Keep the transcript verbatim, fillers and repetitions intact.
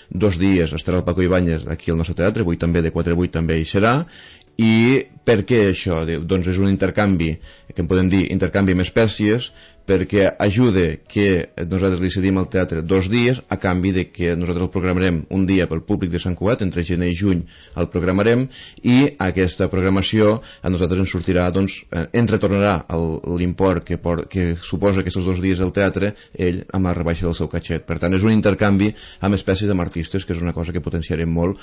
dos dies estarà el Paco Ibáñez aquí al nostre teatre, avui també de quatre a vuit també hi serà. I per què això? Doncs és un intercanvi, que en podem dir intercanvi amb espècies, perquè ajuda que nosaltres li cedim al teatre dos dies a canvi de que nosaltres el programarem un dia pel públic de Sant Cugat, entre gener i juny el programarem, i aquesta programació a nosaltres ens sortirà, doncs, ens retornarà l'import que, que suposa aquests dos dies al teatre ell amb la rebaixa del seu catxet. Per tant, és un intercanvi amb espècies amb artistes, que és una cosa que potenciarem molt